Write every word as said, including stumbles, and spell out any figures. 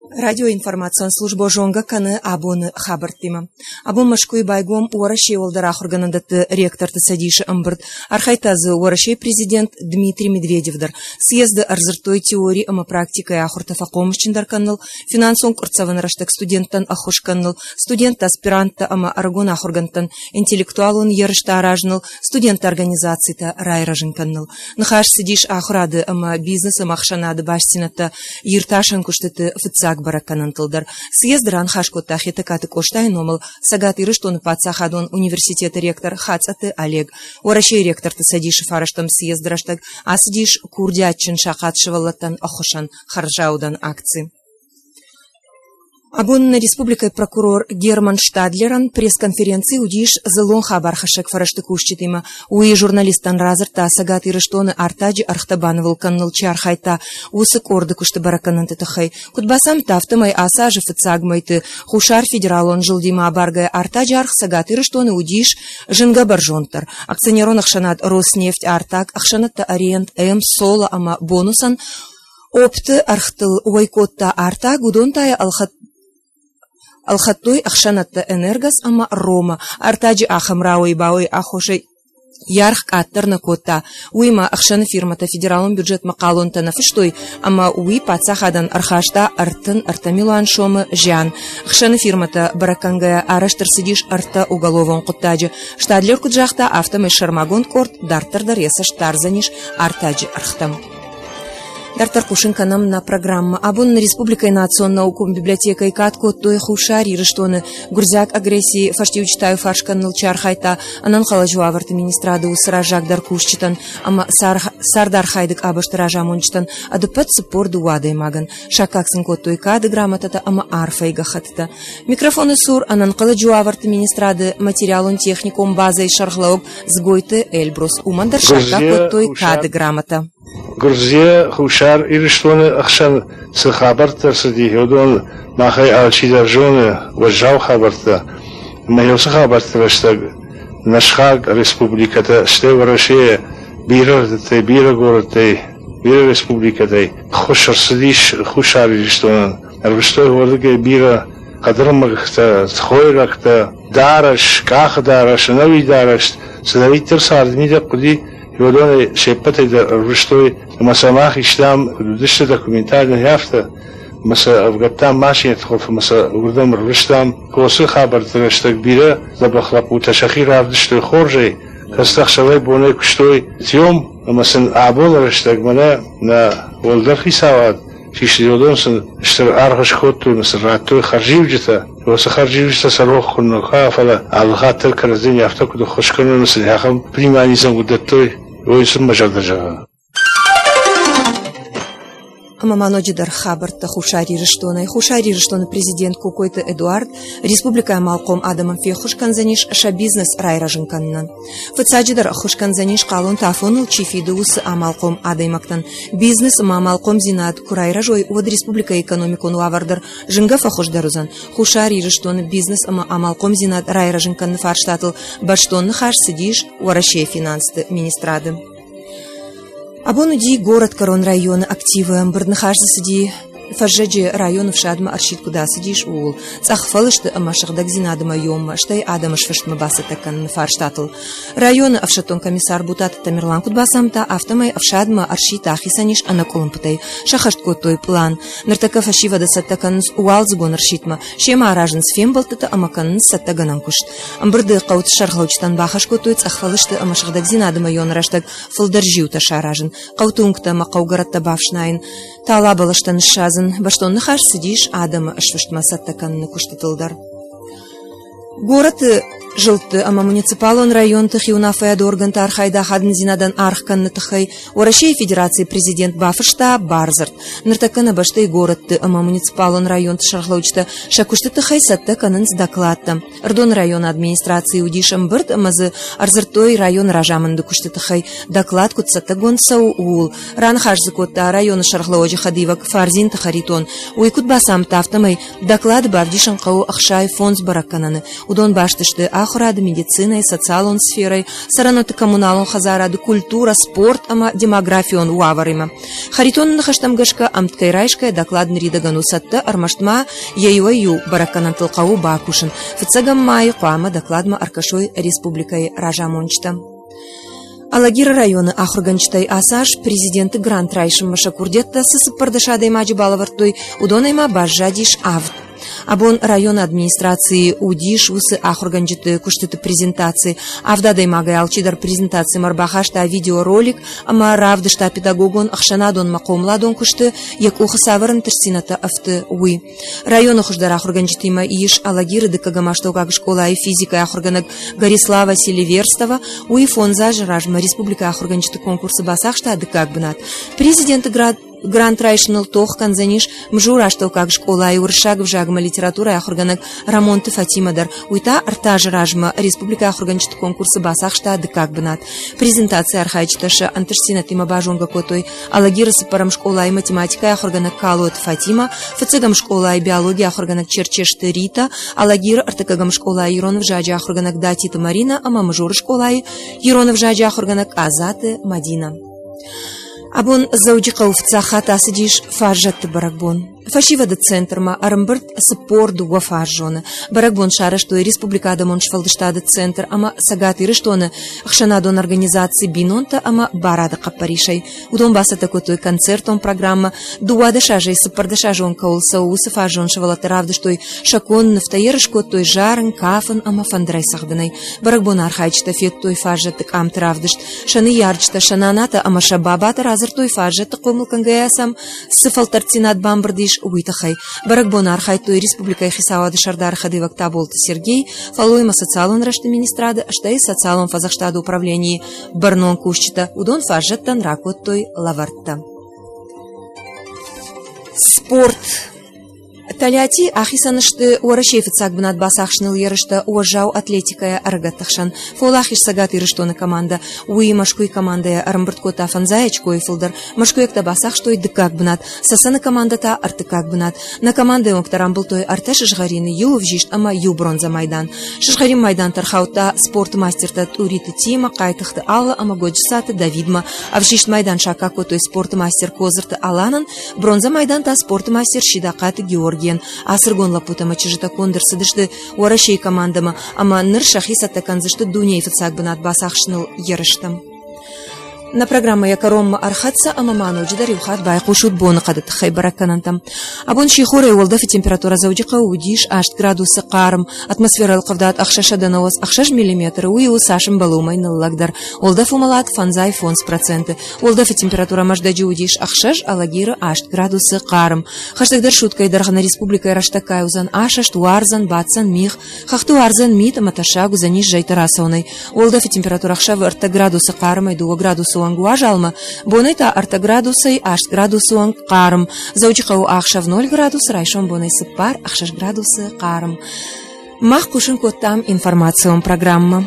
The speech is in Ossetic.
Радиоинформацион службӕ зонгӕ кӕны абоны хабӕрттимӕ. Абон Мӕскуыйы байгом Уӕрӕсейы уӕлдӕр ахуыргӕнӕндӕтты ректорты цӕдисы ӕмбырд. Архайдта дзы Уӕрӕсейы президент Дмитрий Медведев дӕр. Съезды ӕрдзырдтой теори ӕмӕ практикӕйы ахуыртӕ фӕхъомысджындӕр кӕныныл, финансон къуырццӕвӕны рӕстӕг студенттӕн ӕххуыс кӕныныл, студенттӕ, аспиранттӕ ӕмӕ ӕрыгон ахуыргӕндтӕн интеллектуалон ерыстӕ аразыныл, студентты организацитӕ райрӕзын кӕныныл. Ныхас цыдис ахуырады ӕмӕ бизнес ӕмӕ ӕхсӕнады бастдзинӕдтӕ иртасӕн куыстыты фыццаг бӕрӕггӕнӕнтыл дӕр. Съезды раныхас кодта Хетӕгкаты Къостайы номыл Цӕгат Ирыстоны паддзахадон университеты ректор Хацъӕты Олег. Уӕрӕсейы ректорты цӕдисы фарӕстӕм съезды рӕстӕг ацыдис курдиатджын сахъат сывӕллӕттӕн ӕххуысӕн хӕрзаудӕн акци. Абон нӕ республикӕйы прокурор Герман Штадлерӕн пресс-конференци уыдис дзыллон хабархӕссӕг фӕрӕзты кусджытимӕ. Уый журналисттӕн радзырдта Цӕгат Ирыстоны артаджы ӕргътӕ банывыл кӕныныл чи архайдта, уыцы къорды куысты бӕрӕггӕнӕнты тыххӕй. Куыд бацамыдта, афтӕмӕй ацы азы фыццаг мӕйты Хуссар федералон зылдимӕ абаргӕйӕ артаджы аргъ Цӕгат Ирыстоны уыдис зынгӕ бӕрзонддӕр. Акционерон ӕхсӕнад «Роснефть» артаг, ӕхсӕнӕдтӕ «Ориент М», «Соло» ӕмӕ «Бонусӕн» опты ӕргътыл уӕй кодта артаг, уыдон та йӕ ӕлхӕдтой ӕхсӕнӕдтӕ «Энергос» ӕмӕ «Рома». Артаджы ахӕм рауӕй-бауӕй аххосӕй йӕ аргъ къаддӕр нӕ кодта. Уыимӕ ӕхсӕны фирмӕтӕ федералон бюджетмӕ хъалонтӕ нӕ фыстой ӕмӕ уый паддзахадӕн ӕрхаста ӕртын ӕртӕ милуан сомы зиан. Ӕхсӕны фирмӕтӕ бӕрӕггӕнгӕйӕ арӕзт ӕрцыдис ӕртӕ уголовон хъуыддаджы. Штадлер куыд загъта, афтӕмӕй сӕрмагонд къорд дарддӕр дӕр йӕ цӕст дардзӕнис артаджы ӕргътӕм. Дарддӕр хъусын кӕнӕм нӕ программӕ. Абон нӕ республикӕйы национ наукон библиотекӕйы кад кодтой Хуссар Ирыстоны гуырдзиаг агрессийы фӕстиуджытӕ иуфарс кӕныныл чи архайдта, ӕнӕнхъӕлӕджы уавӕрты министрады уыцы раззагдӕр кусджытӕн ӕмӕ цардархайды къабӕзты разамонджытӕн ӕдыппӕт цыппор дыууӕ адӕймагӕн. Саккаг сын кодтой кады грамотӕтӕ ӕмӕ арфӕйы гӕххӕттытӕ. Микрофоны цур ӕнӕнхъӕлӕджы уавӕрты министрады материалон-техникон базӕйы сӕргълӕууӕг Дзгойты Эльбрус. Уымӕн дӕр саккаг кодтой кады грамотӕ. Гуырдзыйӕ Хуссар Ирыстоны ӕхсӕн цы хабӕрттӕ рцыди, уыдон махӕй алчидӕр зоны, уӕззау хабӕрттӕ. Ӕмӕ уыцы хабӕртты рӕстӕг нӕ сыхаг республикӕтӕ, стӕй Уӕрӕсейы бирӕ рдыдтӕй, бирӕ горӕттӕй, бирӕ республикӕтӕй ӕххуыс ӕрцыдис Хуссар Ирыстонӕн. Ӕрвыстой уырдыгӕй бирӕ хъӕдырмӕгтӕ, хойрӕгтӕ, дарӕс, къахы дарӕс, ӕнӕуи дарӕс, цыдӕриддӕр царды мидӕг хъуыди, уыдонӕй се ппӕтӕй дӕр ӕрвыстой ӕмӕ сӕ мах истам, куыд уыдысты документальный, афтӕ, ӕмӕ сӕ ӕвгӕдтам машинӕты хуылф ӕмӕ сӕ уырдӕм ӕрвыстам. Косы хабӕртты рӕстӕг бирӕ дзӕбӕх лӕппутӕ сӕхи равдыстой хорзӕй, кӕцытӕ ӕхсӕвӕй-бонӕй куыстой съем, ӕмӕ сын абоны рӕстӕг мӕнӕ нӕ уӕлдӕр хицауад систы, уыдон сын стыр аргъ скодтой ӕмӕ сын радтой хӕрзиуджытӕ. Уыцы хӕрзиуджытӕ сӕ рох куы нӕ фӕлӕ алы хатт дӕр кӕрӕдзийӕн афтӕ куыд ӕххуыс кӕной ӕмӕ сын ахӕм внимание куыд дӕттой, уый сын мӕ зӕрдӕ зӕгъы. Ӕмӕ ма ноджыдӕр хабӕрттӕ Хуссар Ирыстонӕй. Хуссар Ирыстоны президент Кокойты Эдуард республикӕйы амалхъом адӕмӕн феххуыс кӕндзӕнис сӕ бизнес райрӕзын кӕнынӕн. Фыццаджыдӕр ӕххуыс кӕндзӕнис хъалонты афоныл чи фиды, уыцы амалхъом адӕймӕгтӕн. Бизнес ӕмӕ амалхъомдзинад куы райрӕзой, уӕд республикӕйы экономикон уавӕр дӕр зынгӕ фӕхуыздӕр уыдзӕн. Хуссар Ирыстоны бизнес ӕмӕ амалхъомдзинад райрӕзын кӕныны фарстатыл бӕстон ныхас цыдис Уӕрӕсейы финансты министрады. Абон уыди горӕтгӕрон районы активы ӕмбырд. Ныхас дзы цыди фӕззӕджы районы ӕфсадмӕ ӕрсидт куыд ацыдис, ууыл. Цъӕх фӕлысты ӕмӕ сыгъдӕгдзинады мӕйоммӕ, стӕй адӕмы сфыстмӕ бацӕттӕ кӕныны фарстатыл. Районы ӕфсӕддон комиссар Бутаты Тамерлан куыд бацамыдта, афтӕмӕй ӕфсадмӕ ӕрсидт ахицӕн ис ӕнӕкъуылымпытӕй. Сӕххӕст кодтой пълан. Ныртӕккӕ фӕсивӕды цӕттӕ кӕнынц уалдзыгон ӕрсидтмӕ, семӕ аразынц фембӕлдтытӕ ӕмӕ кӕнынц цӕттӕгӕнӕн куыст. Ӕмбырды хъӕуты сӕргълӕуджытӕн бахӕс кодтой цъӕх фӕлысты ӕмӕ сыгъдӕгдзинады мӕйон рӕстӕг фылдӕр зиутӕ саразын, хъӕуты уынгтӕ ӕмӕ хъӕугӕрӕттӕ бафснайын, тала бӕлӕстӕ ныссадзын. Бӕстон ныхас цыдис адӕмы сфыстмӕ цӕттӕ кӕныны куыстытыл дӕр. Горӕты зылдты ӕмӕ муниципалон районты хиуынаффӕйады органты архайды ахадындзинадӕн аргъ кӕныны тыххӕй Уӕрӕсейы Федерацийы президент бафыста бардзырд. Ныртӕккӕ нӕ бӕстӕйы горӕтты ӕмӕ муниципалон районты сӕргълӕуджытӕ сӕ куысты тыххӕй цӕттӕ кӕнынц докладтӕ. Ӕрыдоны районы администрацийы уыдис ӕмбырд ӕмӕ дзы ӕрдзырдтой районы разамынды куысты тыххӕй доклад куыд цӕттӕгонд цӕуы, ууыл. Раныхас дзы кодта районы сӕргълӕууӕджы хӕдивӕг Фардзинты Харитон. Уый куыд бацамыдта, афтӕмӕй доклады бавдисын хъӕуы ӕхсай фондз бӕрӕггӕнӕны. Уыдон баст сты ахуырады, медицинӕйы, социалон сферӕйы, цӕрӕнуӕтты коммуналон хӕдзарады, культурӕ, спорт ӕмӕ демографион уавӕримӕ. Харитоны ныхӕстӕм гӕсгӕ, ӕмткӕй райсгӕйӕ доклад ныридӕгӕн у цӕттӕ, ӕрмӕст ма йӕ иуӕй-иу бӕрӕггӕнӕнтыл хъӕуы бакусын. Фыццӕгӕм майы хъуамӕ докладмӕ ӕркӕсой республикӕйы разамонджытӕ. Алагиры районы ахуыргӕнджытӕй ацы аз президенты грант райсынмӕ сӕ курдиӕттӕ цы цыппӕрдӕс адӕймаджы балӕвӕрдтой, уыдонӕй ма баззадис авд. Абон районы администрацийы уыдис уыцы ахуыргӕнджыты куыстыты презентаци. Авд адӕймагӕй алчидӕр презентацимӕ ӕрбахаста видеоролик ӕмӕ равдыста педагогон, ӕхсӕнадон ӕмӕ хъомыладон куысты йӕ къухы цавӕр ӕнтыстдзинӕдтӕ ӕфты, уый. Районы хуыздӕр ахуыргӕнджытимӕ ис Алагиры дыккӕгӕм астӕуккаг скъолайы физикӕйы ахуыргӕнӕг Горислава Селиверстова. Уый фондз азы размӕ республикӕйы ахуыргӕнджыты конкурсы бацахста дыккаг бынат. Президенты грант райсыныл тох кӕндзӕнис Мзуры астӕуккаг скъолайы уырыссаг ӕвзагмӕ литературӕйы ахуыргӕнӕг Рӕмонты Фатимӕ дӕр. Уый та ӕртӕ азы размӕ республикӕйы ахуыргӕнджыты конкурсы бацахста дыккаг бынат. Презентацийы архайджытӕ сӕ ӕнтыстдзинӕдтимӕ базонгӕ кодтой Алагиры цыппӕрӕм скъолайы математикӕйы ахуыргӕнӕг Калоты Фатимӕ, фыццӕгӕм скъолайы биологийы ахуыргӕнӕг Черчесты Рита, Алагиры ӕртыккӕгӕм скъолайы ирон ӕвзаджы ахуыргӕнӕг Датиты Маринӕ ӕмӕ Мызуры скъолайы ирон ӕвзаджы ахуыргӕнӕг Къадзаты Мадинӕ. Абон Дзӕуджыхъӕуы фыццаг хатт ацыдис фаззӕтты бӕрӕгбон. Фӕсивӕды центрмӕ ӕрӕмбырд цыппор дыууӕ фаззоны. Бӕрӕгбон сарӕзтой Республикӕ адӕмон сфӕлдыстады центр ӕмӕ Цӕгат Ирыстоны ӕхсӕнадон организаци «Бинонтӕ ӕмӕ барады» хъӕппӕрисӕй. Уыдон бацӕттӕ кодтой концертон программӕ. Дыууадӕс азӕй цыппӕрдӕс азы онг кӕуыл цӕуы, уыцы фаззон сывӕллӕттӕ равдыстой сӕ конд нывтӕ, ерыс кодтой зарын, кафын ӕмӕ фӕндырӕй цӕгъдынӕй. Бӕрӕгбоны архайджытӕ федтой фаззӕтты къамты равдыст. Сӕ ныййарджытӕ, сӕ нанатӕ ӕмӕ сӕ бабатӕ радзырдтой фаззӕтты хъомыл кӕнгӕйӕ сӕм цы фӕлтӕрддзинад бамбырд ис, уый тыххӕй. Бӕрӕгбоны архайдтой республикӕйы хицауады сӕрдары хӕдивӕг Таболты Сергей, фӕллой ӕмӕ социалон рӕзты министрады, стӕй социалон фӕдзӕхстады управленийы бӕрнон кусджытӕ. Уыдон фаззӕттӕн ракодтой лӕвӕрттӕ. Спорт. Тольятти ахицӕн сты Уӕрӕсейы фыццаг бынат бацахсыныл ерыстӕ уӕззау атлетикӕйӕ ӕрыгӕтты хсӕн. Фӕуӕлахиз Цӕгат Ирыстоны командӕ. Уый Мӕскуыйы командӕйӕ ӕрӕмбырд кодта фӕндзай очкойы фылдӕр. Мӕскуыйӕгтӕ бацахстой дыккаг бынат, Цӕцӕны командӕ та ӕртыккаг бынат. Нӕ командӕйы уӕнгтӕ рамбылдтой ӕртӕ сызгъӕрины, иу ӕвзист ӕмӕ иу бронзӕ майдан. Сызгъӕрин майдантӕ ӕрхаудта спорты мастертӕ Тъуриты Тима, Хъайтыхъты Алла ӕмӕ Годжысаты Давидмӕ. Ӕвзист майдан саккаг кодтой спорты мастер Козырты Аланӕн, бронзӕ майдан та спорты мастер Сидахъаты Георгийӕн. Ацы ӕрыгон лӕппутӕ ӕмӕ чызджытӕ конд ӕрцыдысты Уӕрӕсейы командӕмӕ ӕмӕ ныр сӕхи цӕттӕ кӕндзысты дунейы фыццаг бынат бацахсыныл ерыстӕм. Нӕ программӕ йӕ кӕронмӕ ӕрхӕццӕ ӕмӕ ма ноджыдӕр иу хатт байхъусут боныхъӕды тыххӕй бӕрӕггӕнӕнтӕм. Абон сихорӕй уӕлдӕфы температурӕ Дзӕуджыхъӕуы уыдис аст градусы хъарм. Атмосферӕйы ӕлхъывдад ӕхсӕзсӕдӕ нӕуӕдз ӕхсӕз миллиметры, уый у цас ӕмбӕлы, уымӕй ныллӕгдӕр. Уӕлдӕф уымӕлад фӕндзай фондз проценты. Уӕлдӕфы температурӕ Мӕздӕджы уыдис ӕхсӕз, Алагиры аст градусы хъарм. Хӕстӕгдӕр суткӕйы дӕргъы нӕ республикӕйы рӕстӕггай уыдзӕн асӕст, уардзӕн, баддзӕн мигъ, хӕхты уардзӕн мит ӕмӕ тӕссаг уыдзӕнис зӕйты рацӕуынӕй. Уӕлдӕфы температурӕ ӕхсӕвы ӕртӕ градусы хъармӕй дыууӕ градусы онг уазалмӕ, бонӕй та ӕртӕ градусӕй аст градусы онг хъарм. Дзӕуджыхъӕуы ӕхсӕв ноль градус, райсом бонӕй цыппар ӕхсӕз градусы хъарм. Мах хъусын кодтам информацион программӕ.